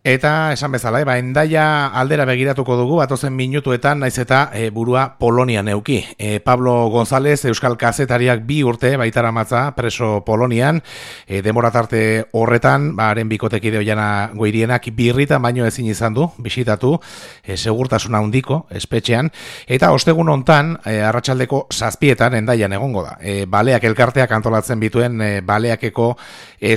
Eta esan bezala, Hendaia aldera begiratuko dugu, batozen minutuetan, naiz eta burua Polonian neuki. Pablo González, Euskal Kazetariak 2 urte baitara matza preso Polonian, demora tarte horretan, haren bikotekide Oiana Goirienak birritan baino ezin izan du, bisitatu, segurtasuna handiko, espetxean, eta ostegun hontan, arratsaldeko 7etan Hendaian egongo da. Baleak elkarteak antolatzen bituen baleakeko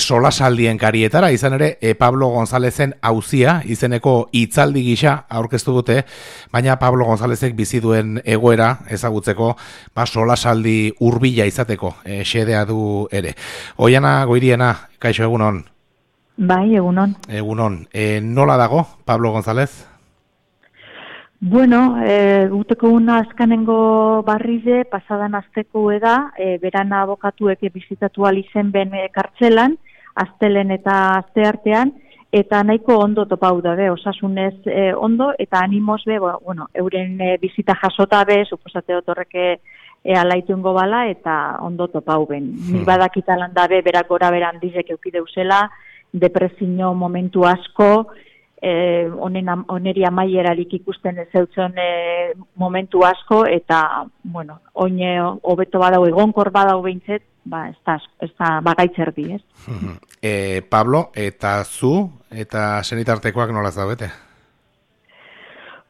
solasaldien karietara, izan ere, Pablo Gonzálezen auzia izeneko hitzaldi gisa aurkeztu dute, baina Pablo Gonzálezek bizi duen egoera ezagutzeko solasaldi hurbila izateko xedea du ere. Oiana Goiriena, kaixo egunon. Bai, egunon. Egunon. Nola dago Pablo González? Bueno, guteko una azkanengo barrize, pasadan azteko eda, beran abokatuek bizitatu alizen ben kartzelan, astelen eta asteartean, eta nahiko ondo topau da, osasunez ondo, eta animoz be, bueno, euren bizita jasota be, suposate otorreke alaitungo bala, eta ondo topau ben. Nik badakitalan dabe, berak gora beran dizek eukideuzela, depresio momentu asko, oneri amaierarik ikusten ez zeutzen momentu asko, eta, bueno, oine hobeto badau, egonkor badau behintzet, ez da bagaitzerdi, ez? Pablo, eta zu, eta senitartekoak nola zaudete?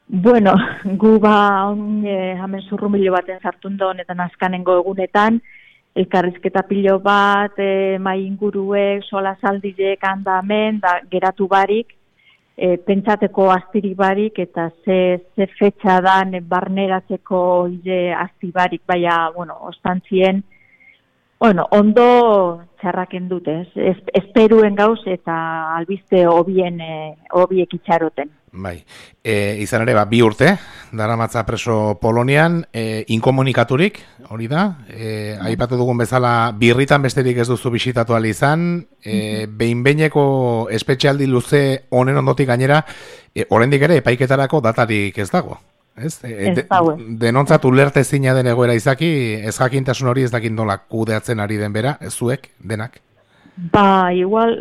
Bueno, gu hemen zurrumilo baten sartun da honetan azkanengo egunetan, elkarrizketa pilo bat, mai inguruek, solasaldiek handamen, da geratu barik, pentsateko astirik barik, eta ze fetxa dan barneratzeko asti barik, baina, bueno, ostantzien, bueno, ondo txarraken dute, esperuen gauz eta albiste hobiek itxaroten. Bai, izan ere, 2 urte, daramatza preso Polonian, inkomunikaturik, hori da, aipatu dugun bezala, birritan besterik ez duzu bisitatu ahal izan, behin-behineko espetxealdi luze honen ondotik gainera, oraindik ere epaiketarako datarik ez dago. Denontzat ulerte zina den egoera izaki, ez jakintasun hori ez dakin nola kudeatzen ari den bera, ez zuek, denak? Igual,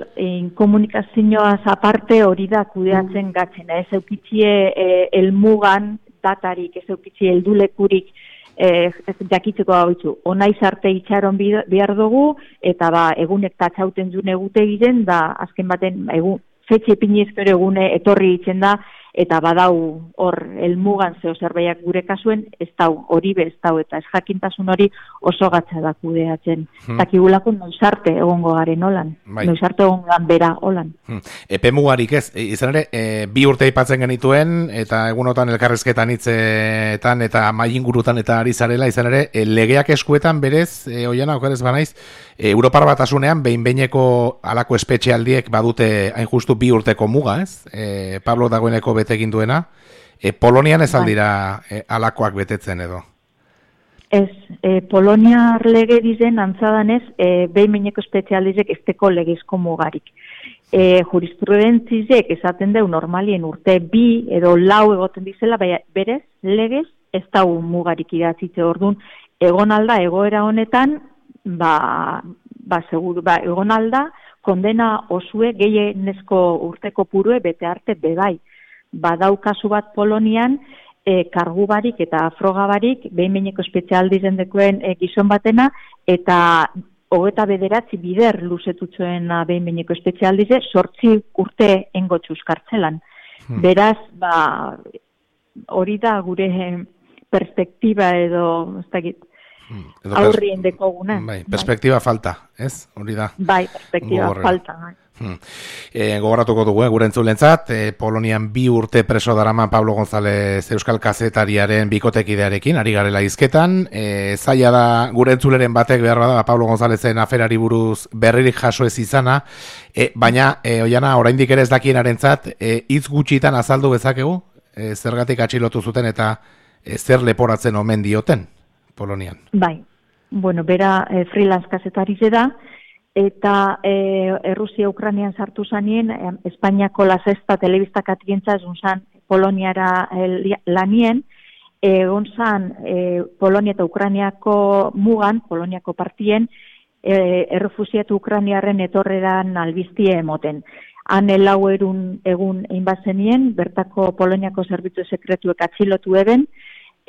komunikazioaz aparte hori da kudeatzen gatzena. Ez eukitzie elmugan datarik, ez eukitzie eldulekurik jakitzeko gautzu. Onaiz arte itxaron behar dugu, eta egunek tatxauten zune egute egiten, da azken baten fetxe pinizkero egune etorri itzen da, eta badau hor elmugan zeo zerbaiak gure kasuen, ez dau, hori be ez dau, eta ez jakintasun hori oso gatza da kudeatzen. Takigulako noizarte egongo garen holan, noizarte egongo bera holan. Epe mugarik ez, izan ere, 2 urte aipatzen genituen, eta egunotan elkarrizketan hitzetan, eta maingurutan eta ari zarela, izan ere, legeak eskuetan berez, Oiana, okerez banaiz, Europar Batasunean behin-behineko alako espetxealdiek badute hain justu 2 urteko muga, ez? Pablo dagoeneko bete egin duena, Polonian ez aldira alakoak betetzen edo? Ez, Poloniar lege dizen antzadanez, behin-behineko espetxealdizek esteko legezko mugarik. Jurisprudentzizek esaten deu normalien urte 2 edo 4 egoten dizela, berez, legez ez dau mugarik idatzitze orduan, egon alda egoera honetan, seguru, egon alda, kondena osue gehienezko urteko purue bete arte bebai. Badau kasu bat Polonian, kargu barik eta froga barik, behin-behineko espezialdizen dekoen gizon batena, eta 29 bider luzetutzuen behin-behineko espezialdize, 8 urte engotxuz kartzelan. Beraz, hori da gure perspektiba edo, ez dakit, aurrien dekoguna. Perspektiba falta, ez? Hori da. Bai, perspektiba falta. Gogoratuko dugu, gure entzulentzat, Polonian 2 urte preso darama Pablo González Euskal Kazetariaren bikotekidearekin, ari garela hizketan. Zaila da gure entzuleren batek behar da Pablo Gonzálezen aferari buruz berririk jaso ez izana, baina, Oiana, oraindik ere ez dakiinarentzat, hitz gutxitan azaldu bezakegu, zergatik atxilotu zuten eta zer leporatzen omen dioten Polonian. Bai, bueno, bera freelance kazetarize da, eta Errusia-Ukranian sartu zanien, Espainiako La Sexta telebista katientza zunzan Poloniara lanien, egon zan Polonia eta Ukraniako mugan, Poloniako partien, errefusiatu Ukraniaren etorreran albiztie emoten. han egun egin bazenien, bertako Poloniako zerbitzu sekretuek atxilotu eben,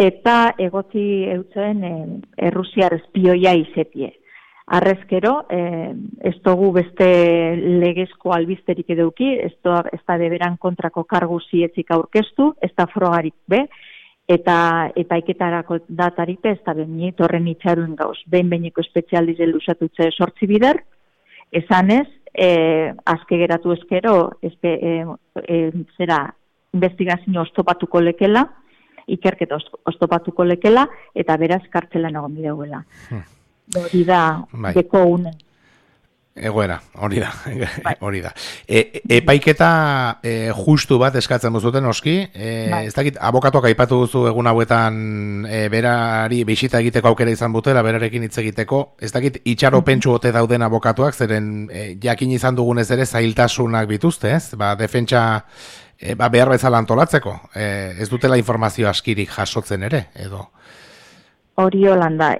eta egotzi eutzen Errusiar espioia izetie. Arrezkero, ez dugu beste legezko albizterik eduki, ez da beberan kontrako kargu zietzik aurkeztu, ez da frogarik be, eta epaiketarako datarik ez da behin horren itxaruen gauz. Behin-behineko espezialize lusatutze 8 bider, esanez, azke geratu ezkero, zera, investigazio oztopatuko lekela, ikerketa oztopatuko lekela, eta beraz kartzelan egon bideuela. Hori da, deko unen. Egoera, hori da. Epaiketa justu bat eskatzen duzuten oski, ez dakit, abokatuak aipatu duzu egun hauetan berari bisita egiteko aukera izan butela, berarekin hitz egiteko, ez dakit, itxaropentsu ote dauden abokatuak, zeren jakin izan dugunez ere zailtasunak bituzte, ez? Defentsa behar bezala antolatzeko, ez dutela informazio askirik jasotzen ere, edo? Hori holanda,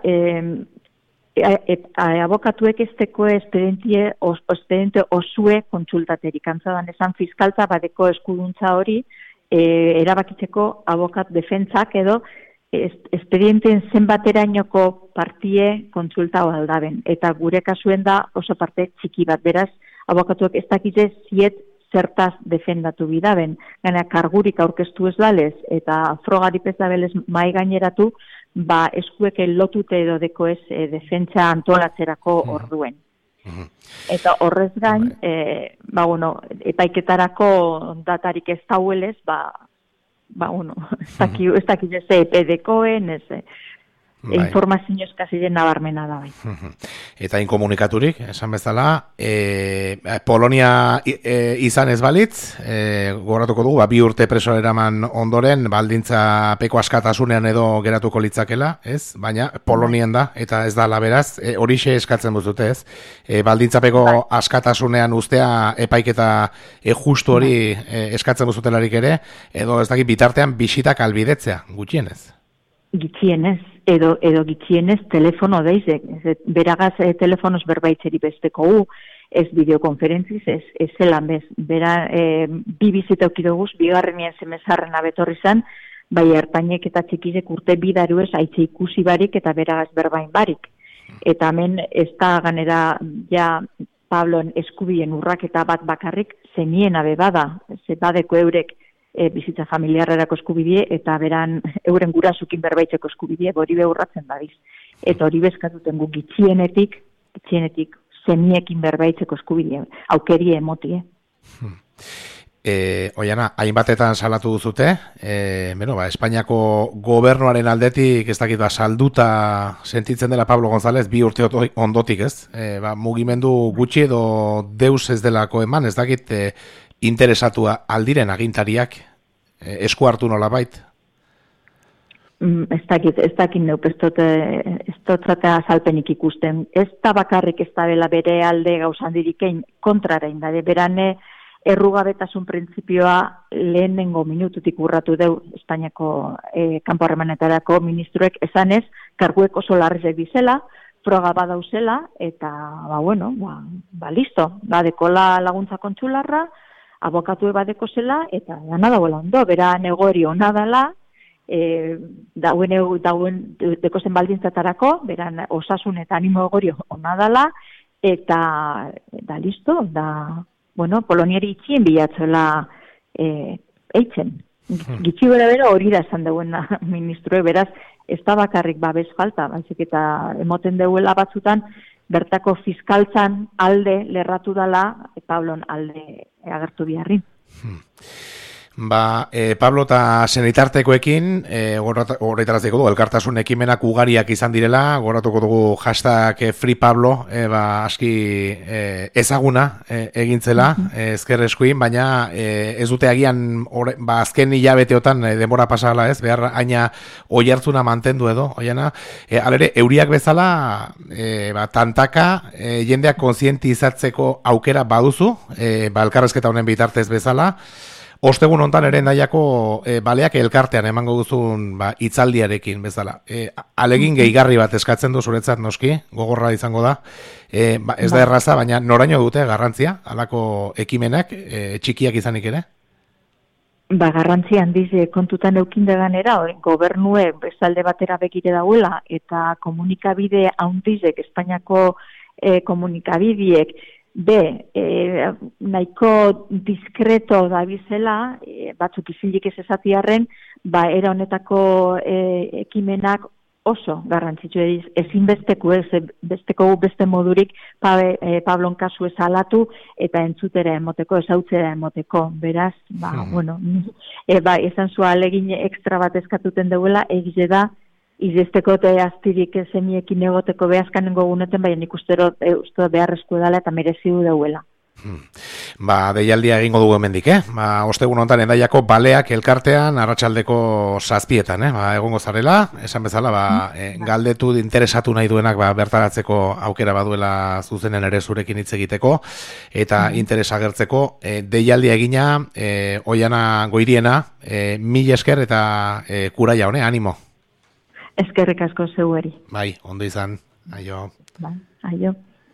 abokatuek esteko espediente osue kontsultaterik. Antzadan esan fiskaltza badeko eskuduntza hori erabakitzeko abokat defentsak edo espedienten zenbaterainoko partie kontsulta aldaben. Eta gure kasuen da oso parte txiki bat. Beraz, abokatuek ez dakitze ziet zertaz defendatu bidaben. Gana kargurik aurkeztu ez dalez eta frogarik ez dabelez mai gaineratu, eskuek lotute edo deko ez defentsa antolatzerako orduen. Eta horrez gain, epaiketarako datarik ez dauelez, ez dakit ez EPD-koen, informazio eskaziren nabarmena da. Eta inkomunikaturik, esan bezala, Polonia izan ez balitz, gogoratuko dugu, 2 urte preso eraman ondoren, baldintza peko askatasunean edo geratuko litzakela, ez? Baina Polonian da, eta ez da laberaz, horixe eskatzen duzute, ez? Baldintza peko askatasunean ustea epaiketa justu hori eskatzen duzutelarik ere, edo ez dakit bitartean bisitak albidetzea, gutxienez? Gitxienez, edo gitxienez telefono deizek, beragaz telefonos berbaitzeri besteko ez bideokonferentziz, ez zelan bez, bi bizita okidoguz, bigarrenien zemezarren abetorri zan, bai ertainek eta txikizek urte bidaruez aitze ikusi barik eta beragaz berbain barik. Eta hemen ez da ganera ja Pabloen eskubien urraketa bat bakarrik zenien abe bada, ze badeko eurek bizitza familiarrerako eskubidie eta beran euren gurasukin berbaitzeko eskubidie hori beurratzen badiz. Eta hori bezkatuten gu gitxienetik zeniekin berbaitzeko eskubidie, aukerie emotie. Oiana, hainbatetan salatu duzute, Espainiako gobernuaren aldetik ez dakit salduta sentitzen dela Pablo González 2 urte ondotik, ez? Mugimendu gutxi edo deus ez delako eman, ez dakit interesatua aldiren agintariak esku hartu nolabait? Ez dakit neup, ez dutzatea azalpenik ikusten. Ez da bakarrik ez da bela bere alde gauzan dirikein kontrarein da, berane errugabetasun printzipioa lehenengo minututik urratu deu Espainiako kanpo harremanetarako ministroek esanez, karguek oso larrizek dizela, froga badauzela, eta, listo, badekola laguntza kontsularra, abokatu badeko zela, eta dana dagoela ondo, bera negoeri hona dela, dauen dekozen baldintzatarako, bera osasun eta animo egorio hona dela, eta da listo, Poloniari itxien bilatzela eitzen. Gitxi bera hori da esan deuen ministroe, beraz, ez da bakarrik babes falta, baizik eta emoten deuela batzutan, bertako fiskaltzan alde lerratu dela, Pablon alde agertu biharri. Pablo eta senitartekoekin, horretaraziko dugu, elkartasun ekimenak ugariak izan direla, goratuko dugu hashtag Free Pablo, aski ezaguna egintzela, ezker eskuin, baina ez dute agian azken hilabeteotan denbora pasala, ez, behar aina oihartzuna mantendu edo, oiana, alere, euriak bezala, tantaka, jendeak kontzientizatzeko aukera baduzu, elkarrezketa honen bitartez bezala, Ostegun hontan ere Hendaiako baleak elkartean emango duzun hitzaldiarekin bezala. Alegin gehigarri bat eskatzen du zuretzat noski, gogorra izango da. Ez da erraza, baina noraino dute garrantzia, halako ekimenak, txikiak izanik ere? Garrantzi handiz kontutan eukinda ganera, gobernue bestalde batera begire dauela, eta komunikabide handizek, Espainiako komunikabideek, nahiko diskreto da bizela, batzuk izilik ez esatiarren, era honetako ekimenak oso garrantzitsu ezinbesteko beste modurik Pablon kasu ezalatu eta entzutera emoteko, ezautzera emoteko. Beraz, esan zua alegin ekstra bat eskatuten duela, egize da, izesteko eta aztirik zemiekin egoteko behazkanengo guneten, baina nik uste beharrezko edala eta merezidu dauela. Deialdia egingo dugu hemendik, ostegun honetan Hendaiako baleak elkartean arratsaldeko 7:00, egongo zarela, esan bezala, galdetu interesatu nahi duenak bertaratzeko aukera baduela zuzenen ere zurekin hitz egiteko, eta interesa agertzeko, deialdia egina, Oiana Goiriena, mil esker eta kuraia hone, animo. Eskerrik asko zeueri. Bai, ondo izan, aio. Aio.